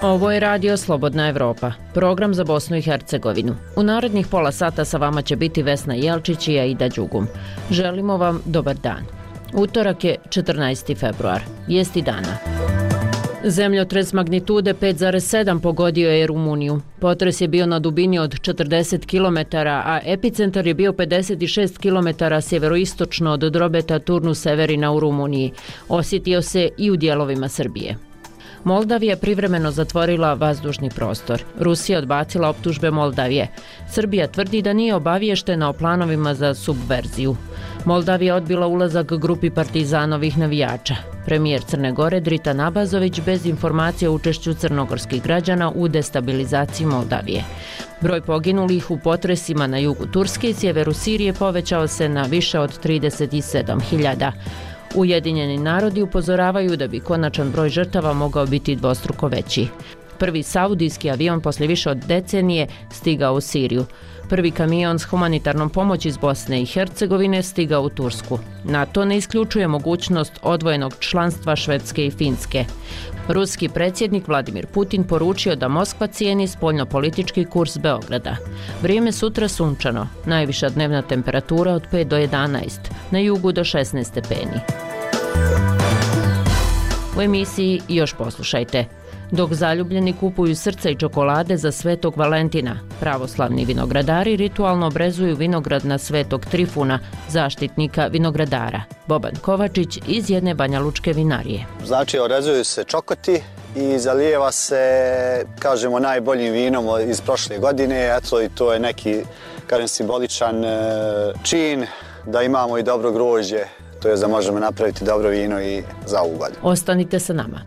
Ovo je Radio Slobodna Evropa, program za Bosnu i Hercegovinu. U narednih pola sata sa vama će biti Vesna Jelčić i Aida Đugum. Želimo vam dobar dan. Utorak je 14. februar, vijesti dana. Zemljotres magnitude 5,7 pogodio je Rumuniju. Potres je bio na dubini od 40 km, a epicentar je bio 56 km sjeveroistočno od Drobeta Turnu Severina u Rumuniji. Osjetio se i u dijelovima Srbije. Moldavija privremeno zatvorila vazdušni prostor. Rusija odbacila optužbe Moldavije. Srbija tvrdi da nije obaviještena o planovima za subverziju. Moldavija odbila ulazak grupi partizanovih navijača. Premijer Crne Gore Drita Nabazović bez informacije o učešću crnogorskih građana u destabilizaciji Moldavije. Broj poginulih u potresima na jugu Turske i sjeveru Sirije povećao se na više od 37.000. Ujedinjeni narodi upozoravaju da bi konačan broj žrtava mogao biti dvostruko veći. Prvi saudijski avion poslije više od decenije stigao u Siriju. Prvi kamion s humanitarnom pomoći iz Bosne i Hercegovine stigao u Tursku. NATO ne isključuje mogućnost odvojenog članstva Švedske i Finske. Ruski predsjednik Vladimir Putin poručio da Moskva cijeni spoljnopolitički kurs Beograda. Vrijeme sutra sunčano, najviša dnevna temperatura od 5 do 11, na jugu do 16 stepeni. U emisiji još poslušajte. Dok zaljubljeni kupuju srca i čokolade za Svetog Valentina, pravoslavni vinogradari ritualno obrezuju vinograd na Svetog Trifuna, zaštitnika vinogradara. Boban Kovačić iz jedne banjalučke vinarije. Znači, orezuju se čokoti i zalijeva se, kažemo, najboljim vinom iz prošle godine. Eto, i to je neki, kažem, simboličan čin da imamo i dobro grožđe, to je da možemo napraviti dobro vino i za ovu godinu. Ostanite sa nama.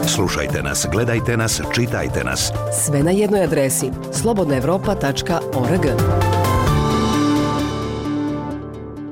Slušajte nas, gledajte nas, čitajte nas. Sve na jednoj adresi slobodnaevropa.org.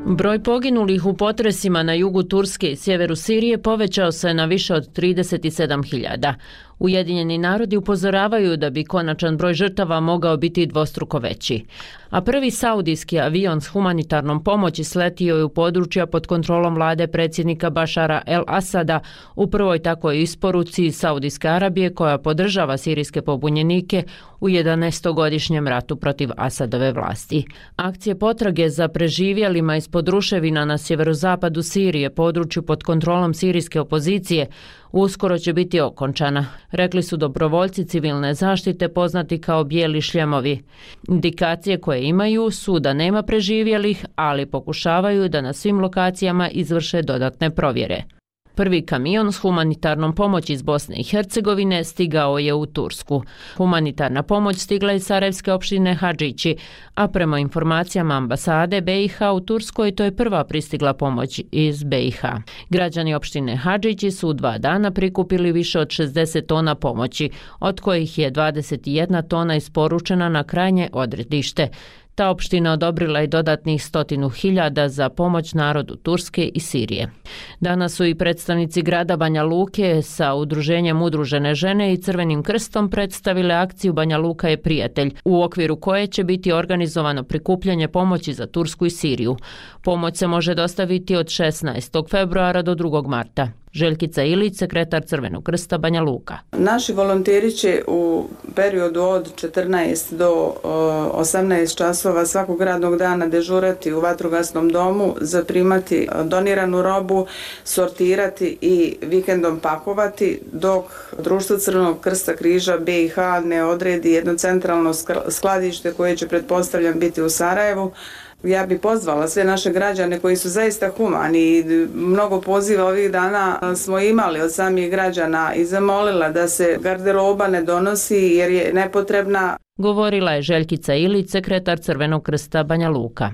Broj poginulih u potresima na jugu Turske i sjeveru Sirije povećao se na više od 37.000. Ujedinjeni narodi upozoravaju da bi konačan broj žrtava mogao biti dvostruko veći. A prvi saudijski avion s humanitarnom pomoći sletio je u područja pod kontrolom vlade predsjednika Bašara el-Asada u prvoj takvoj isporuci Saudijske Arabije koja podržava sirijske pobunjenike u 11-godišnjem ratu protiv Asadove vlasti. Akcije potrage za preživjelima ispod ruševina na sjeverozapadu Sirije, području pod kontrolom sirijske opozicije, uskoro će biti okončana, rekli su dobrovoljci civilne zaštite poznati kao bijeli šljemovi. Indikacije koje imaju su da nema preživjelih, ali pokušavaju da na svim lokacijama izvrše dodatne provjere. Prvi kamion s humanitarnom pomoći iz Bosne i Hercegovine stigao je u Tursku. Humanitarna pomoć stigla iz Sarajevske opštine Hadžići, a prema informacijama ambasade BiH u Turskoj to je prva pristigla pomoć iz BiH. Građani opštine Hadžići su u 2 dana prikupili više od 60 tona pomoći, od kojih je 21 tona isporučena na krajnje odredište. Ta opština odobrila je dodatnih 100.000 za pomoć narodu Turske i Sirije. Danas su i predstavnici grada Banja Luke sa udruženjem Udružene žene i Crvenim krstom predstavile akciju Banja Luka je prijatelj, u okviru koje će biti organizovano prikupljanje pomoći za Tursku i Siriju. Pomoć se može dostaviti od 16. februara do 2. marta. Željkica Ilić, sekretar Crvenog krsta Banja Luka. Naši volonteri će u periodu od 14 do 18 časova svakog radnog dana dežurati u vatrogasnom domu, zaprimati doniranu robu, sortirati i vikendom pakovati, dok Društvo Crvenog krsta križa BiH ne odredi jedno centralno skladište koje će, pretpostavljam, biti u Sarajevu. Ja bih pozvala sve naše građane koji su zaista humani. Mnogo poziva ovih dana smo imali od samih građana i zamolila da se garderoba ne donosi jer je nepotrebna. Govorila je Željkica Ilić, sekretar Crvenog krsta Banja Luka.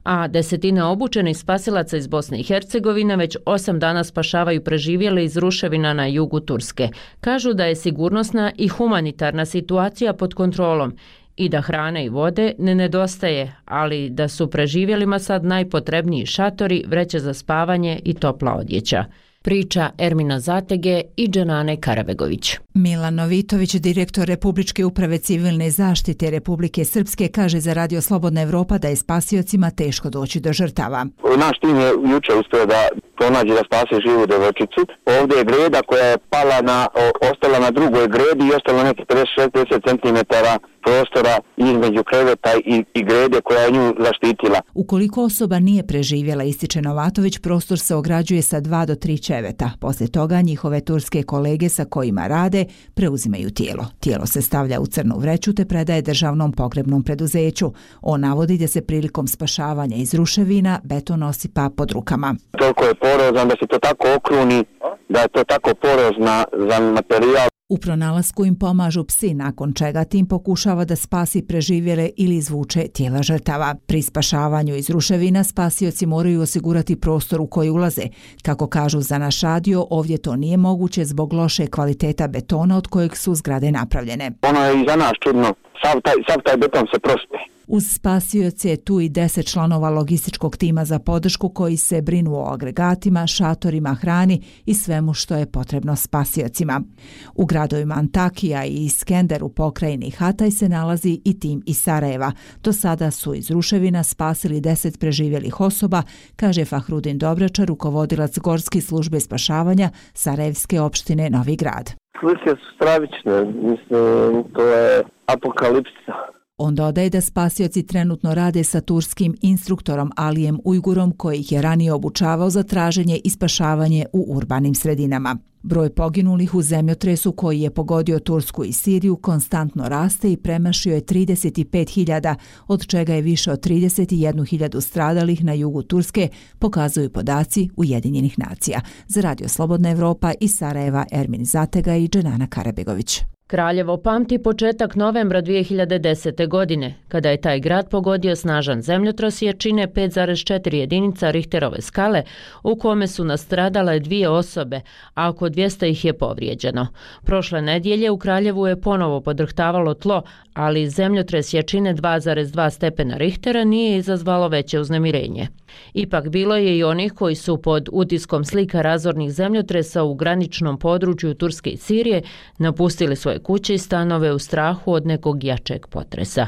A desetine obučenih spasilaca iz Bosne i Hercegovine već 8 dana spašavaju preživjele iz ruševina na jugu Turske. Kažu da je sigurnosna i humanitarna situacija pod kontrolom i da hrane i vode ne nedostaje, ali da su preživjelima sad najpotrebniji šatori, vreće za spavanje i topla odjeća. Priča Ermina Zatege i Dženane Karabegović. Milan Novitović, direktor Republičke uprave civilne zaštite Republike Srpske, kaže za Radio Slobodna Evropa da je spasiocima teško doći do žrtava. Naš tim je juče uspio da pronađe da spase živu devojčicu. Ovdje je greda koja je ostala na drugoj gredi i ostalo neki 50 cm prostora između kreveta i grede koja je nju zaštitila. Ukoliko osoba nije preživjela, ističe Novatović, prostor se ograđuje sa 2 do 3 ćeveta. Poslije toga njihove turske kolege sa kojima rade preuzimaju tijelo. Tijelo se stavlja u crnu vreću te predaje državnom pogrebnom preduzeću. On navodi da se prilikom spašavanja iz ruševina beton osipa pod rukama. Toliko je porozan da se to tako okruni, da je to tako porozna za materijal. U pronalasku im pomažu psi, nakon čega tim pokušava da spasi preživjele ili izvuče tijela žrtava. Pri spašavanju iz ruševina spasioci moraju osigurati prostor u koji ulaze. Kako kažu za naš radio, ovdje to nije moguće zbog loše kvaliteta betona od kojeg su zgrade napravljene. Ono je i za nas čudno, sav taj beton se prospe. Uz spasioce je tu i 10 članova logističkog tima za podršku koji se brinu o agregatima, šatorima, hrani i svemu što je potrebno spasiocima. U gradovima Antakija i Iskender u pokrajini Hataj se nalazi i tim iz Sarajeva. Do sada su iz ruševina spasili 10 preživjelih osoba, kaže Fahrudin Dobračar, rukovodilac Gorske službe spašavanja Sarajevske opštine Novi Grad. Slike su stravične, mislim, to je apokalipsa. On dodaje da spasioci trenutno rade sa turskim instruktorom Alijem Ujgurom koji ih je ranije obučavao za traženje i spašavanje u urbanim sredinama. Broj poginulih u zemljotresu koji je pogodio Tursku i Siriju konstantno raste i premašio je 35.000, od čega je više od 31.000 stradalih na jugu Turske, pokazuju podaci Ujedinjenih nacija. Za Radio Slobodna Evropa iz Sarajeva, Ermin Zatega i Dženana Karabegović. Kraljevo pamti početak novembra 2010. godine, kada je taj grad pogodio snažan zemljotres jačine 5,4 jedinica Richterove skale, u kome su nastradale 2 osobe, a oko 200 ih je povrijeđeno. Prošle nedjelje u Kraljevu je ponovo podrhtavalo tlo, ali zemljotres jačine 2,2 stepena Richtera nije izazvalo veće uznemirenje. Ipak bilo je i onih koji su pod utiskom slika razornih zemljotresa u graničnom području Turske i Sirije napustili svoje kuće i stanove u strahu od nekog jačeg potresa.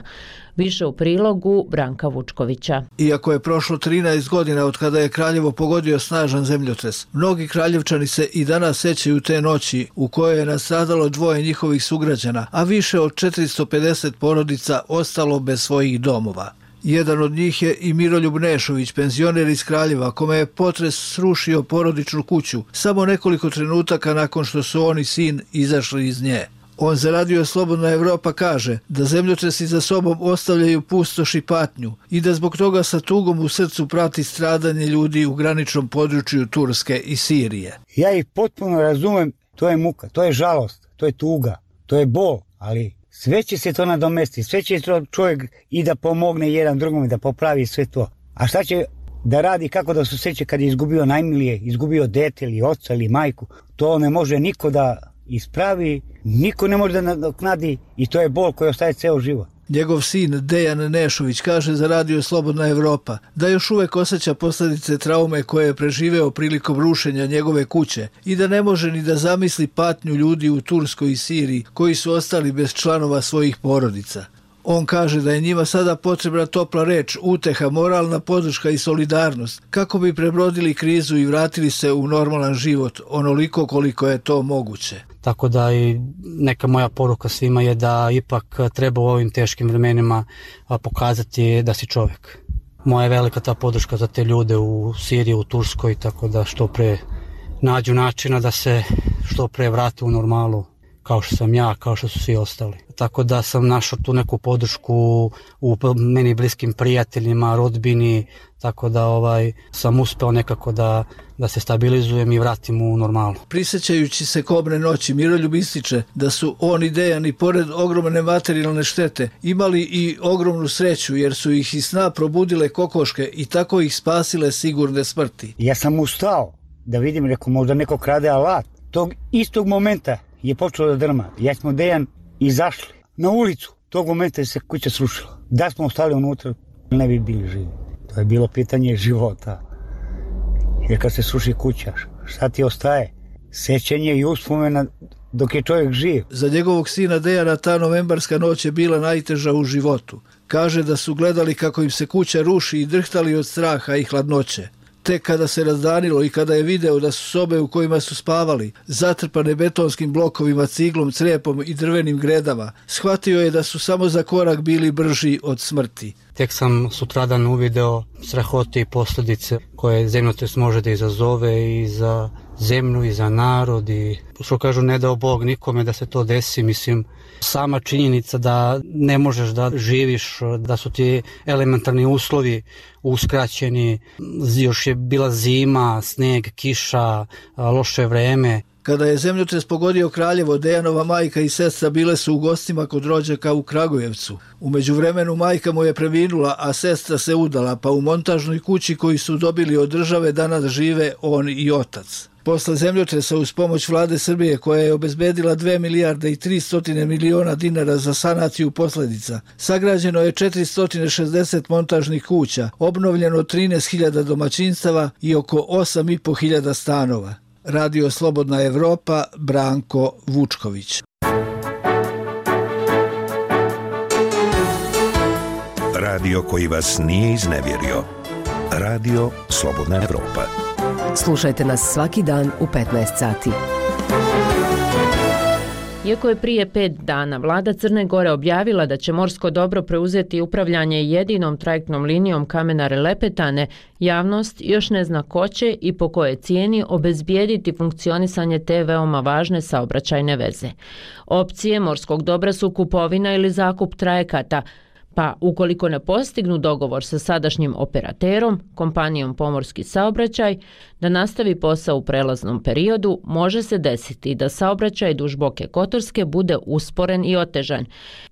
Više u prilogu Branka Vučkovića. Iako je prošlo 13 godina od kada je Kraljevo pogodio snažan zemljotres, mnogi kraljevčani se i danas sećaju te noći u kojoj je nastradalo 2 njihovih sugrađana, a više od 450 porodica ostalo bez svojih domova. Jedan od njih je i Miroljub Nešović, penzioner iz Kraljeva, kome je potres srušio porodičnu kuću samo nekoliko trenutaka nakon što su on i sin izašli iz nje. On za Radio Slobodna Evropa kaže da zemljotresi za sobom ostavljaju pustoš i patnju i da zbog toga sa tugom u srcu prati stradanje ljudi u graničnom području Turske i Sirije. Ja ih potpuno razumem, to je muka, to je žalost, to je tuga, to je bol, ali sve će se to nadomestiti, sve će čovjek i da pomogne jedan drugom i da popravi sve to. A šta će da radi, kako da se sjeća kad je izgubio najmilije, izgubio dete ili oca ili majku, to ne može niko da ispravi, niko ne može da nadoknadi i to je bol koji ostaje ceo život. Njegov sin Dejan Nešović kaže za Radio Slobodna Evropa da još uvek osjeća posljedice traume koje je preživeo prilikom rušenja njegove kuće i da ne može ni da zamisli patnju ljudi u Turskoj i Siriji koji su ostali bez članova svojih porodica. On kaže da je njima sada potrebna topla reč, uteha, moralna podrška i solidarnost kako bi prebrodili krizu i vratili se u normalan život onoliko koliko je to moguće. Tako da i neka moja poruka svima je da ipak treba u ovim teškim vremenima pokazati da si čovjek. Moja je velika ta podrška za te ljude u Siriji, u Turskoj, tako da što pre nađu načina da se što pre vrate u normalu, kao što sam ja, kao što su svi ostali. Tako da sam našao tu neku podršku u meni bliskim prijateljima, rodbini, tako da sam uspeo nekako da se stabilizujem i vratim u normalu. Prisjećajući se kobne noći, Miroljub ističe da su on i Dejan i pored ogromne materijalne štete imali i ogromnu sreću jer su ih iz sna probudile kokoške i tako ih spasile sigurne smrti. Ja sam ustao da vidim, rekao, možda neko krade alat. Tog istog momenta je počelo da drma. Ja smo Dejan izašli na ulicu. Tog momenta se kuća srušila. Da smo ostali unutra, ne bi bili živi. To je bilo pitanje života. Jer kad se sruši kuća, šta ti ostaje? Sećanje i uspomena dok je čovjek živ. Za njegovog sina Dejana ta novembarska noć je bila najteža u životu. Kaže da su gledali kako im se kuća ruši i drhtali od straha i hladnoće. Tek kada se razdanilo i kada je video da su sobe u kojima su spavali zatrpane betonskim blokovima, ciglom, crepom i drvenim gredama, shvatio je da su samo za korak bili brži od smrti. Tek sam sutradan uvideo strahote i posljedice koje zemljotres može da izazove i za zemlju i za narod i što kažu ne dao Bog nikome da se to desi. Mislim, sama činjenica da ne možeš da živiš, da su ti elementarni uslovi uskraćeni, još je bila zima, sneg, kiša, loše vreme. Kada je zemljotres pogodio Kraljevo, Dejanova majka i sestra bile su u gostima kod rođaka u Kragujevcu. U međuvremenu majka mu je preminula, a sestra se udala, pa u montažnoj kući koju su dobili od države danas žive on i otac. Posle zemljotresa uz pomoć vlade Srbije koja je obezbedila 2 milijarde i 300 miliona dinara za sanaciju posljedica, sagrađeno je 460 montažnih kuća, obnovljeno 13.000 domaćinstava i oko 8.500 stanova. Radio Slobodna Evropa, Branko Vučković. Radio koji vas nije iznevjerio. Radio Slobodna Evropa. Slušajte nas svaki dan u 15 sati. Iako je prije 5 dana vlada Crne Gore objavila da će morsko dobro preuzeti upravljanje jedinom trajektnom linijom Kamenar-Lepetane, javnost još ne zna ko će i po kojoj cijeni obezbijediti funkcionisanje te veoma važne saobraćajne veze. Opcije morskog dobra su kupovina ili zakup trajekata, pa ukoliko ne postignu dogovor sa sadašnjim operaterom, kompanijom Pomorski saobraćaj, da nastavi posao u prelaznom periodu, može se desiti da saobraćaj duž Boke Kotorske bude usporen i otežan,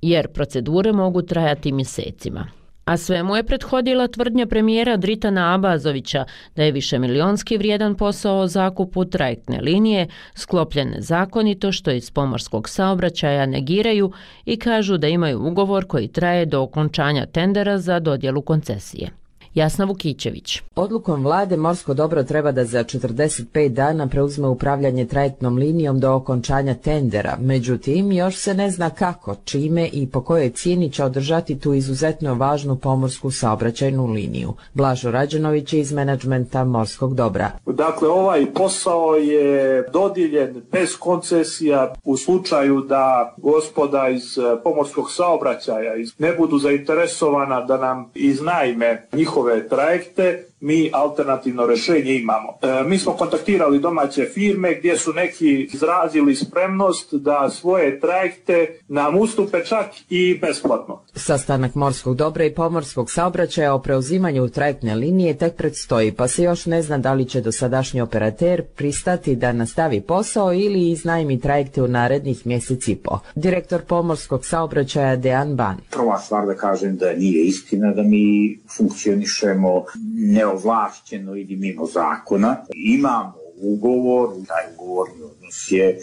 jer procedure mogu trajati mjesecima. A svemu je prethodila tvrdnja premijera Dritana Abazovića da je višemilionski vrijedan posao o zakupu trajektne linije sklopljen nezakonito, što iz pomorskog saobraćaja negiraju i kažu da imaju ugovor koji traje do okončanja tendera za dodjelu koncesije. Jasna Vukićević. Odlukom vlade morsko dobro treba da za 45 dana preuzme upravljanje trajektnom linijom do okončanja tendera. Međutim, još se ne zna kako, čime i po kojoj cijeni će održati tu izuzetno važnu pomorsku saobraćajnu liniju. Blažo Rađenović iz menadžmenta morskog dobra. Dakle, ovaj posao je dodijeljen bez koncesija u slučaju da gospoda iz pomorskog saobraćaja ne budu zainteresovana da nam iznajme njihove trajekte, mi alternativno rješenje imamo. Mi smo kontaktirali domaće firme gdje su neki izrazili spremnost da svoje trajekte nam ustupe čak i besplatno. Sastanak morskog dobra i pomorskog saobraćaja o preuzimanju trajektne linije tek predstoji, pa se još ne zna da li će dosadašnji operater pristati da nastavi posao ili iznajmi trajekte u narednih mjesec i po. Direktor pomorskog saobraćaja Dejan Ban. Prva stvar da kažem da nije istina da mi funkcionišemo neovlašćeno ili mimo zakona. Imamo ugovor, taj ugovorni odnos je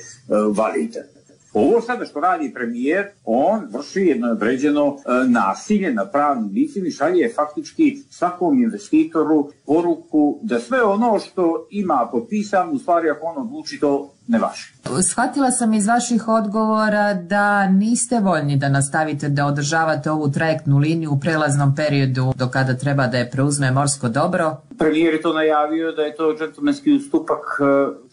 validan. Ovo sada što radi premijer, on vrši jedno određeno nasilje na pravnim licima i šalje faktički svakom investitoru poruku da sve ono što ima potpisano, u stvari ako on odluči to ne važi. Shvatila sam iz vaših odgovora da niste voljni da nastavite da održavate ovu trajektnu liniju u prelaznom periodu do kada treba da je preuzme morsko dobro. Premijer je to najavio da je to džentlmenski ustupak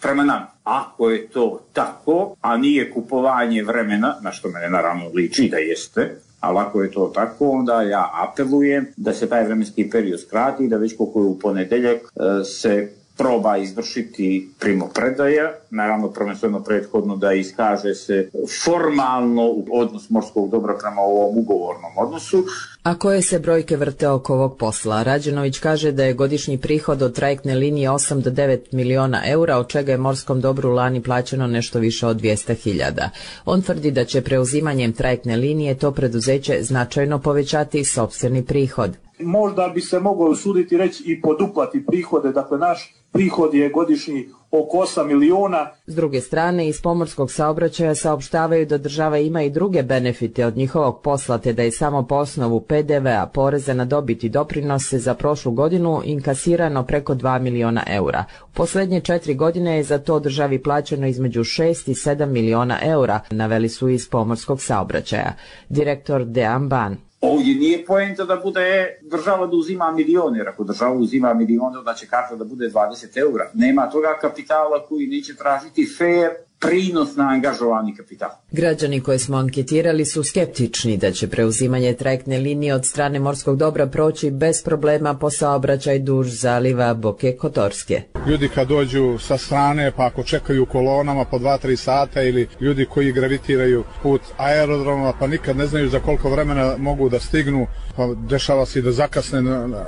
prema nama. Ako je to tako, a nije kupovanje vremena, na što mene naravno liči da jeste, ali ako je to tako, onda ja apelujem da se taj vremenski period skrati i da već koliko je u ponedeljak se proba izvršiti primopredaja, naravno prvenstveno prethodno da iskaže se formalno odnos morskog dobra prema ovom ugovornom odnosu. A koje se brojke vrte oko ovog posla? Rađenović kaže da je godišnji prihod od trajektne linije 8 do 9 miliona eura, od čega je morskom dobru lani plaćeno nešto više od 200.000. On tvrdi da će preuzimanjem trajektne linije to preduzeće značajno povećati sopstveni prihod. Možda bi se moglo usuditi reći i poduplati prihode, dakle naš prihod je godišnji oko 8 milijuna. S druge strane, iz pomorskog saobraćaja saopštavaju da država ima i druge benefite od njihovog posla, te da je samo po osnovu PDV-a, poreza na dobit i doprinose za prošlu godinu inkasirano preko 2 miliona eura. U posljednje 4 godine je za to državi plaćeno između 6 i 7 miliona eura, naveli su iz pomorskog saobraćaja. Direktor Dejan Ban. Ovdje nije poenta da bude država da uzima milione, jer ako država uzima milione, onda će karta da bude 20 eura. Nema toga kapitala koji neće tražiti fair prinos na angažovani kapital. Građani koje smo anketirali su skeptični da će preuzimanje trajektne linije od strane morskog dobra proći bez problema po saobraćaj duž zaliva Boke Kotorske. Ljudi kad dođu sa strane, pa ako čekaju kolonama po 2-3 sata, ili ljudi koji gravitiraju put aerodroma, pa nikad ne znaju za koliko vremena mogu da stignu, pa dešava se i da zakasne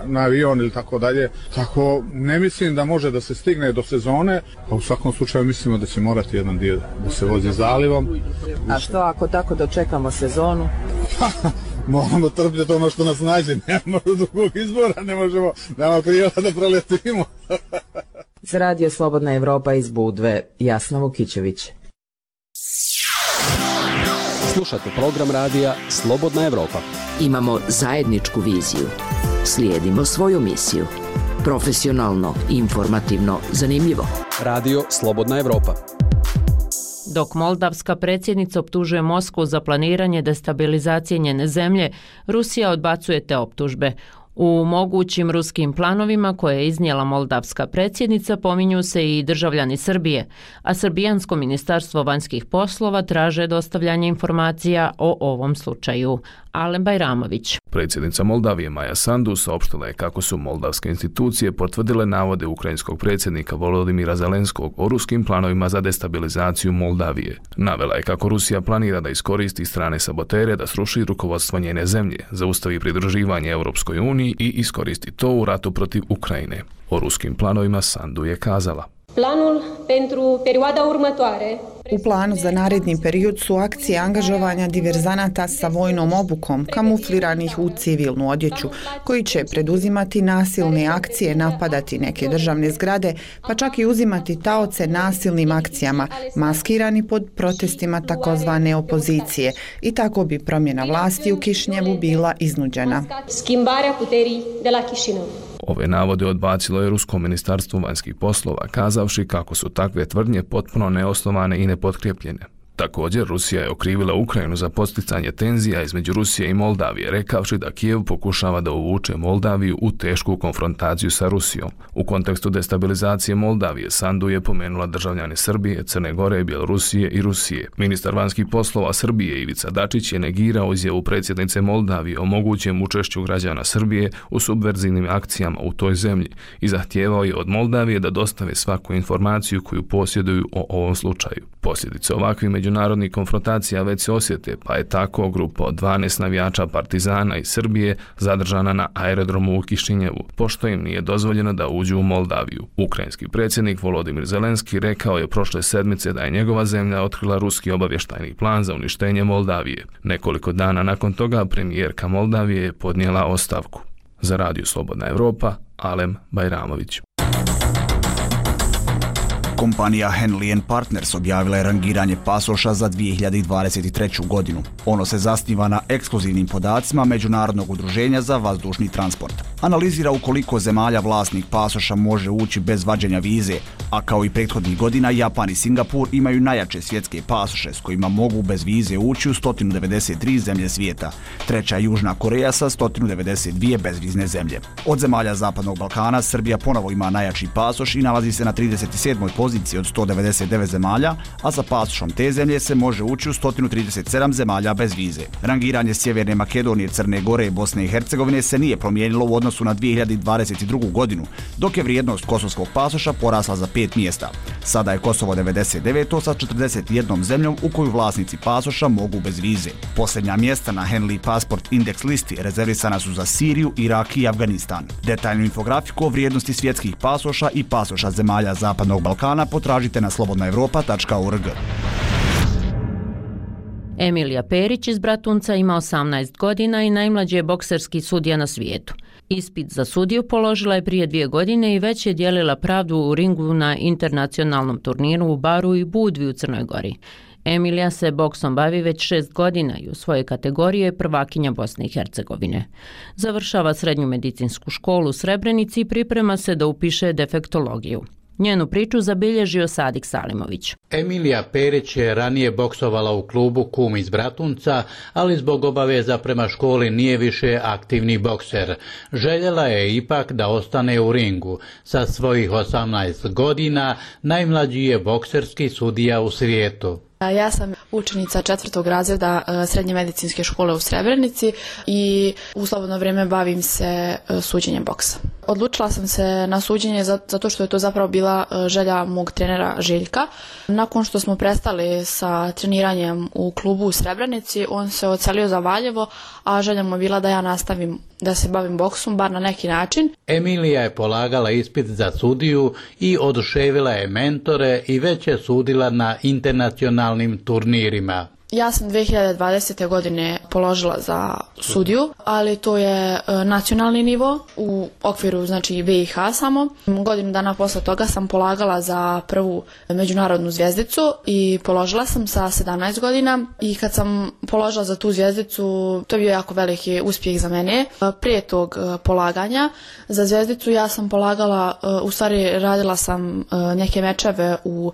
na avion ili tako dalje. Tako ne mislim da može da se stigne do sezone, pa u svakom slučaju mislimo da će morati jedan dio da se vozi zalivom. A što ako tako dočekamo sezonu? Moramo trpjeti ono što nas nađe, nemamo drugog izbora, nemamo prijela da proletimo. Za Radio Slobodna Evropa iz Budve, Jasna Vukićević. Slušate program radija Slobodna Evropa. Imamo zajedničku viziju. Slijedimo svoju misiju. Profesionalno, informativno, zanimljivo. Radio Slobodna Evropa. Dok moldavska predsjednica optužuje Moskvu za planiranje destabilizacije njene zemlje, Rusija odbacuje te optužbe. U mogućim ruskim planovima koje je iznijela moldavska predsjednica pominju se i državljani Srbije, a Srbijansko ministarstvo vanjskih poslova traže dostavljanje informacija o ovom slučaju. Alen Bajramović. Predsjednica Moldavije Maja Sandu saopštila je kako su moldavske institucije potvrdile navode ukrajinskog predsjednika Volodimira Zelenskog o ruskim planovima za destabilizaciju Moldavije. Navela je kako Rusija planira da iskoristi strane sabotere da sruši rukovodstvo njene zemlje, zaustavi pridruživanje Europskoj uniji i iskoristi to u ratu protiv Ukrajine. O ruskim planovima Sandu je kazala: Planul pentru perioada următoare. U planu za naredni period su akcije angažovanja diverzanata sa vojnom obukom, kamufliranih u civilnu odjeću, koji će preduzimati nasilne akcije, napadati neke državne zgrade, pa čak i uzimati taoce nasilnim akcijama, maskirani pod protestima takozvane opozicije. I tako bi promjena vlasti u Kišinjevu bila iznuđena. Schimbarea puterii de la Chișinău. Ove navode odbacilo je Rusko ministarstvo vanjskih poslova, kazavši kako su takve tvrdnje potpuno neosnovane i nepotkrepljene. Također, Rusija je okrivila Ukrajinu za podsticanje tenzija između Rusije i Moldavije, rekavši da Kijev pokušava da uvuče Moldaviju u tešku konfrontaciju sa Rusijom. U kontekstu destabilizacije Moldavije, Sandu je pomenula državljane Srbije, Crne Gore, Bjelorusije i Rusije. Ministar vanjskih poslova Srbije Ivica Dačić je negirao izjavu predsjednice Moldavije o mogućem učešću građana Srbije u subverzivnim akcijama u toj zemlji i zahtijevao je od Moldavije da dostave svaku informaciju koju posjeduju o ovom slučaju. Posljedice ovakvih međunarodnih konfrontacija već se osjete, pa je tako grupa od 12 navijača Partizana iz Srbije zadržana na aerodromu u Kišinjevu, pošto im nije dozvoljeno da uđu u Moldaviju. Ukrajinski predsjednik Volodimir Zelenski rekao je prošle sedmice da je njegova zemlja otkrila ruski obavještajni plan za uništenje Moldavije. Nekoliko dana nakon toga premijerka Moldavije je podnijela ostavku. Za Radio Slobodna Evropa, Alen Bajramović. Kompanija Henley & Partners objavila je rangiranje pasoša za 2023. godinu. Ono se zasniva na ekskluzivnim podacima Međunarodnog udruženja za vazdušni transport. Analizira u koliko zemalja vlasnik pasoša može ući bez vađenja vize, a kao i prethodnih godina Japan i Singapur imaju najjače svjetske pasoše s kojima mogu bez vize ući u 193 zemlje svijeta. Treća je Južna Koreja sa 192 bezvizne zemlje. Od zemalja Zapadnog Balkana Srbija ponovo ima najjači pasoš i nalazi se na 37. poziciji od 199 zemalja, a sa pasošom te zemlje se može ući u 137 zemalja bez vize. Rangiranje Sjeverne Makedonije, Crne Gore i Bosne i Hercegovine se nije promijenilo u odnosu na 2022. godinu, dok je vrijednost kosovskog pasoša porasla za 5 mjesta. Sada je Kosovo 99. sa 41 zemljom u koju vlasnici pasoša mogu bez vize. Posljednja mjesta na Henley Passport Index listi rezervisana su za Siriju, Irak i Afganistan. Detaljnu infografiku o vrijednosti svjetskih pasoša i pasoša zemalja Zapadnog Balkana potražite na slobodnaevropa.org. Emilija Perić iz Bratunca ima 18 godina i najmlađi je bokserski sudija na svijetu. Ispit za sudiju položila je prije 2 godine i već je dijelila pravdu u ringu na internacionalnom turniru u Baru i Budvi u Crnoj Gori. Emilija se boksom bavi već 6 godina i u svojoj kategoriji je prvakinja Bosne i Hercegovine. Završava srednju medicinsku školu u Srebrenici i priprema se da upiše defektologiju. Njenu priču zabilježio Sadik Salimović. Emilija Perić je ranije boksovala u klubu Kum iz Bratunca, ali zbog obaveza prema školi nije više aktivni bokser. Željela je ipak da ostane u ringu. Sa svojih 18 godina najmlađi je bokserski sudija u svijetu. Ja sam učenica 4. razreda srednje medicinske škole u Srebrenici i u slobodno vrijeme bavim se suđenjem boksa. Odlučila sam se na suđenje zato što je to zapravo bila želja mog trenera Željka. Nakon što smo prestali sa treniranjem u klubu u Srebrenici, on se odselio za Valjevo, a želja mu je bila da ja nastavim da se bavim boksom, bar na neki način. Emilija je polagala ispit za sudiju i oduševila je mentore i već je sudila na internacionalnim turnirima. Ja sam 2020. godine položila za sudiju, ali to je nacionalni nivo u okviru znači BiH samo. Godinu dana posle toga sam polagala za prvu međunarodnu zvjezdicu i položila sam sa 17 godina i kad sam položila za tu zvjezdicu, to je bio jako veliki uspjeh za mene. Prije tog polaganja za zvjezdicu ja sam polagala, u stvari radila sam neke mečeve u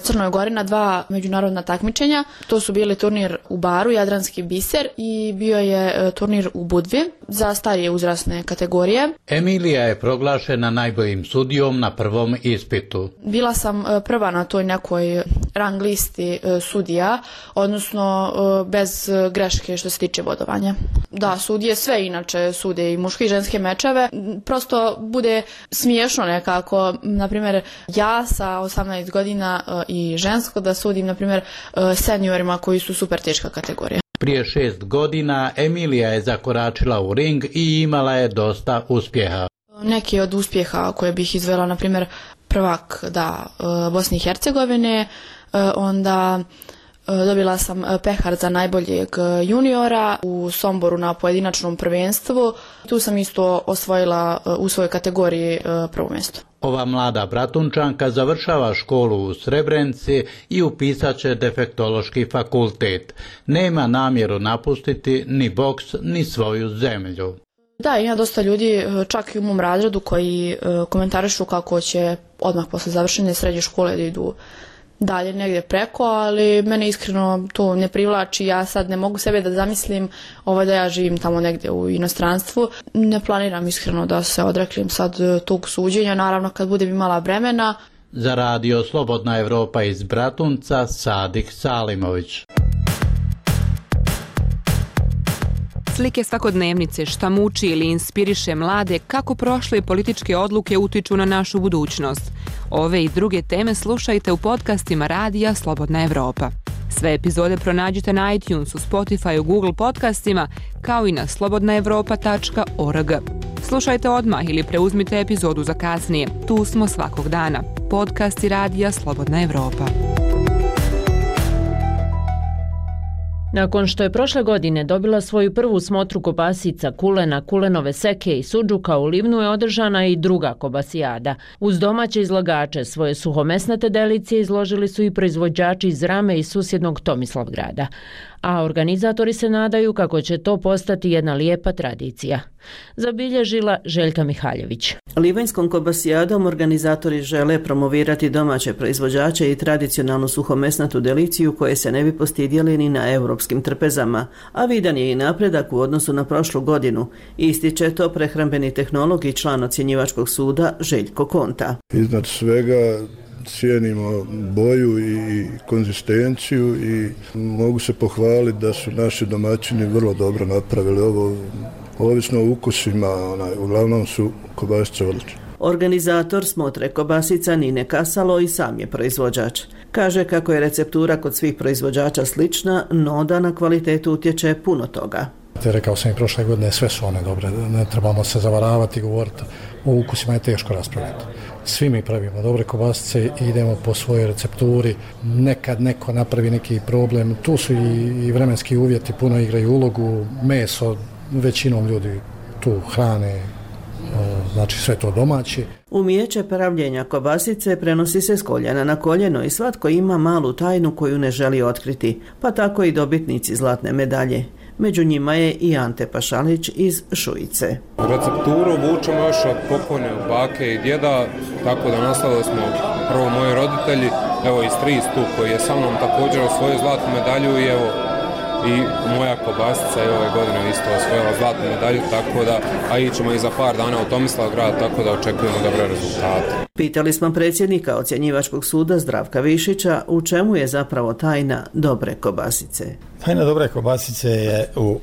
Crnoj Gori na 2 međunarodna takmičenja. To su bili turnir u Baru, Jadranski biser, i bio je turnir u Budvi za starije uzrasne kategorije. Emilija je proglašena najboljim sudijom na prvom ispitu. Bila sam prva na toj nekoj rang listi sudija, odnosno bez greške što se tiče bodovanja. Da, sudije sve inače sude i muške i ženske mečeve. Prosto bude smiješno nekako, na primjer ja sa 18 godina i žensko da sudim na primjer seniorima koji su super teška kategorija. Prije 6 godina Emilija je zakoračila u ring i imala je dosta uspjeha. Neki od uspjeha koje bih izvela, na primjer prvak Bosne i Hercegovine, onda dobila sam pehar za najboljeg juniora u Somboru na pojedinačnom prvenstvu. Tu sam isto osvojila u svojoj kategoriji prvo mjesto. Ova mlada Bratunčanka završava školu u Srebrenici i upisat će defektološki fakultet. Nema namjeru napustiti ni boks ni svoju zemlju. Da, ima dosta ljudi, čak i u mom razredu, koji komentarišu kako će odmah posle završene srednje škole da idu dalje negdje preko, ali mene iskreno to ne privlači. Ja sad ne mogu sebe da zamislim da ja živim tamo negdje u inostranstvu. Ne planiram iskreno da se odreklim sad tog suđenja, naravno kad budem imala vremena. Za radio Slobodna Evropa iz Bratunca, Sadik Salimović. Slike svakodnevnice, šta muči ili inspiriše mlade, kako prošle političke odluke utiču na našu budućnost. Ove i druge teme slušajte u podcastima radija Slobodna Evropa. Sve epizode pronađite na iTunesu, Spotifyu, Google podcastima, kao i na slobodnaevropa.org. Slušajte odmah ili preuzmite epizodu za kasnije. Tu smo svakog dana. Podcasti radija Slobodna Evropa. Nakon što je prošle godine dobila svoju prvu smotru kobasica, kulena, kulenove seke i sudžuka, u Livnu je održana i druga kobasijada. Uz domaće izlagače svoje suhomesnate delicije izložili su i proizvođači iz Rame i susjednog Tomislavgrada. A organizatori se nadaju kako će to postati jedna lijepa tradicija. Zabilježila Željka Mihaljević. Livanjskom kobasijadom organizatori žele promovirati domaće proizvođače i tradicionalnu suhomesnatu deliciju koje se ne bi postidjeli ni na europskim trpezama, a vidan je i napredak u odnosu na prošlu godinu. Ističe to prehrambeni tehnolog i član ocjenjivačkog suda Željko Konta. Iznad svega cijenimo boju i konzistenciju i mogu se pohvaliti da su naši domaćini vrlo dobro napravili ovo. Ovisno o ukusima, uglavnom su kobasice odlične. Organizator smotre kobasica Nine Kasalo i sam je proizvođač. Kaže kako je receptura kod svih proizvođača slična, no da na kvalitetu utječe puno toga. Rekao sam i prošle godine, sve su one dobre, ne trebamo se zavaravati i govoriti. O ukusima je teško raspravljati. Svi mi pravimo dobre kobasice i idemo po svojoj recepturi. Nekad neko napravi neki problem, tu su i vremenski uvjeti, puno igraju ulogu, meso, većinom ljudi tu hrane, znači sve to domaće. Umijeće pravljenja kobasice prenosi se s koljena na koljeno i svatko ima malu tajnu koju ne želi otkriti, pa tako i dobitnici zlatne medalje. Među njima je i Ante Pašalić iz Šujice. Recepturu vučemo još od pokojne bake i djeda, tako da nastavili smo prvo moji roditelji, evo i stric tu koji je sa mnom također osvojio zlatnu medalju i evo i moja kobasica je ove godine isto osvojila zlatnu medalju, tako da, a ićemo i za par dana u Tomislavgrad, tako da očekujemo dobre rezultate. Pitali smo predsjednika ocjenjivačkog suda Zdravka Višića u čemu je zapravo tajna dobre kobasice. Tajna dobre kobasice je u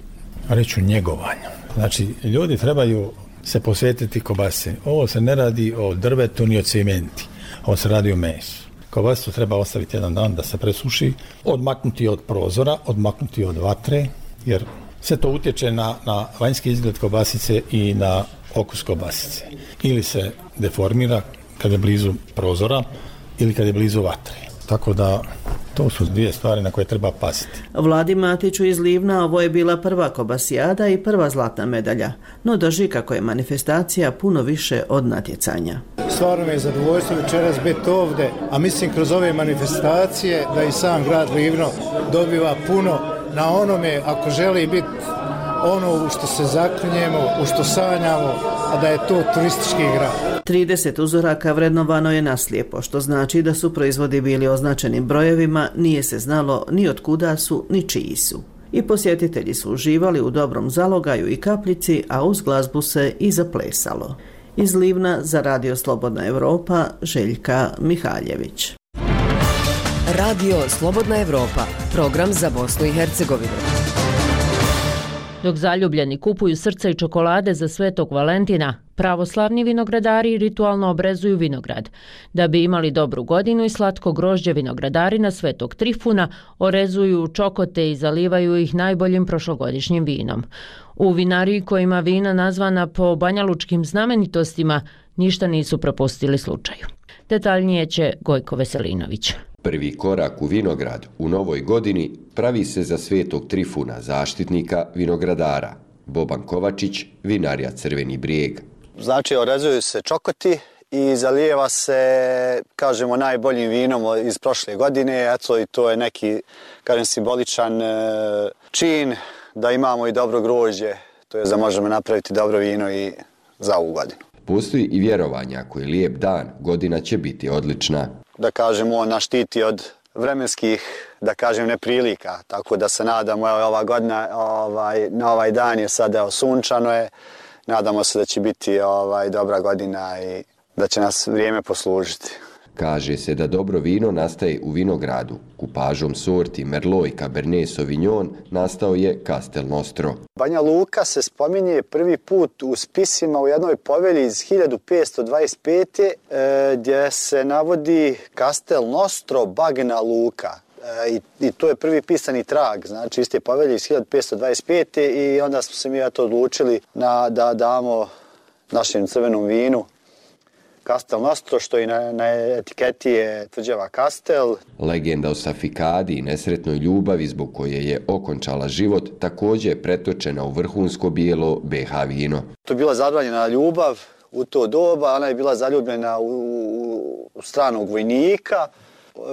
njegovanju. Znači, ljudi trebaju se posvetiti kobasice. Ovo se ne radi o drvetu ni o cementi, ovo se radi o mesu. Kobasicu treba ostaviti jedan dan da se presuši, odmaknuti od prozora, odmaknuti od vatre, jer sve to utječe na vanjski izgled kobasice i na okus kobasice. Ili se deformira kad je blizu prozora ili kad je blizu vatre. Tako da to su dvije stvari na koje treba paziti. Vladi Matiću iz Livna ovo je bila prva kobasijada i prva zlatna medalja, no drži kako je manifestacija puno više od natjecanja. Stvarno mi je zadovoljstvo večeras biti ovdje, a mislim kroz ove manifestacije da i sam grad Livno dobiva puno na onome ako želi biti ono u što se zaklinjemo, u što sanjamo, a da je to turistički grad. 30 uzoraka vrednovano je naslijepo, što znači da su proizvodi bili označeni brojevima, nije se znalo ni od kuda su, ni čiji su. I posjetitelji su uživali u dobrom zalogaju i kapljici, a uz glazbu se i zaplesalo. Iz Livna za Radio Slobodna Evropa, Željka Mihaljević. Radio Slobodna Evropa, program za Bosnu i Hercegovinu. Dok zaljubljeni kupuju srca i čokolade za Svetog Valentina, pravoslavni vinogradari ritualno obrezuju vinograd. Da bi imali dobru godinu i slatko grožđe, vinogradari na Svetog Trifuna orezuju čokote i zalivaju ih najboljim prošlogodišnjim vinom. U vinariji koja ima vina nazvana po banjalučkim znamenitostima ništa nisu propustili slučaju. Detaljnije će Gojko Veselinović. Prvi korak u vinograd u novoj godini pravi se za Svetog Trifuna, zaštitnika vinogradara. Boban Kovačić, vinarija Crveni Brijeg. Znači, orezuju se čokoti i zalijeva se, kažemo, najboljim vinom iz prošle godine. Eto, i to je neki, kažem, simboličan čin da imamo i dobro grožđe, to je da možemo napraviti dobro vino i za ovu godinu. Postoji i vjerovanja ako je lijep dan, godina će biti odlična. Da kažemo, on nas štiti od vremenskih, da kažem, neprilika, tako da se nadamo, evo, ova godina, na ovaj dan je sada sunčano je, nadamo se da će biti dobra godina i da će nas vrijeme poslužiti. Kaže se da dobro vino nastaje u vinogradu. Kupažom sorti Merlot i Cabernet Sauvignon nastao je Castel Nostro. Banja Luka se spominje prvi put u spisima u jednoj povelji iz 1525. Gdje se navodi Castel Nostro Bagna Luka. I to je prvi pisani trag, znači iste povelje iz 1525. I onda smo se mi odlučili da damo našem crvenom vinu Castel Nostro, što i na etiketi je tvrđava Castel. Legenda o Safikadi i nesretnoj ljubavi zbog koje je okončala život također je pretočena u vrhunsko bijelo BH vino. To je bila zabranjena ljubav u to doba, ona je bila zaljubljena u stranog vojnika.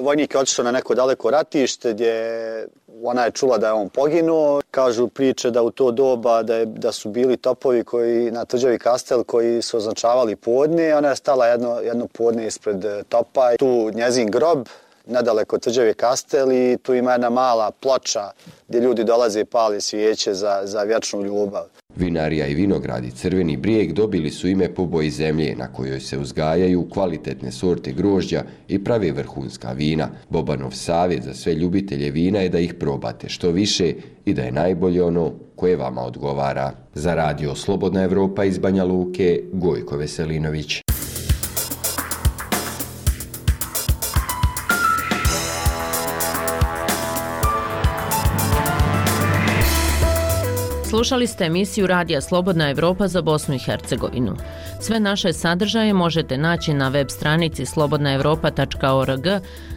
Vojnik je otišao na neko daleko ratište gdje ona je čula da je on poginuo. Kažu priče da u to doba da su bili topovi koji na tvrđavi Castel koji su označavali podne. Ona je stala jedno podne ispred topa. Tu njezin grob, nedaleko tvrđave Castel, i tu ima jedna mala ploča gdje ljudi dolaze i pali svijeće za vječnu ljubav. Vinarija i vinogradi Crveni Brijeg dobili su ime po boji zemlje na kojoj se uzgajaju kvalitetne sorte grožđa i prave vrhunska vina. Bobanov savjet za sve ljubitelje vina je da ih probate što više i da je najbolje ono koje vama odgovara. Za Radio Slobodna Evropa iz Banja Luke, Gojko Veselinović. Slušali ste emisiju Radija Slobodna Evropa za Bosnu i Hercegovinu. Sve naše sadržaje možete naći na web stranici slobodnaevropa.org,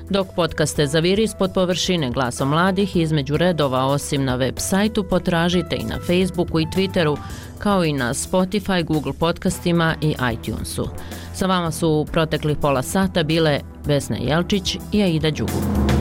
dok podcaste Zaviri ispod površine Glasom mladih između redova osim na web sajtu potražite i na Facebooku i Twitteru, kao i na Spotify, Google podcastima i iTunesu. Sa vama su u proteklih pola sata bile Vesna Jelčić i Aida Đugu.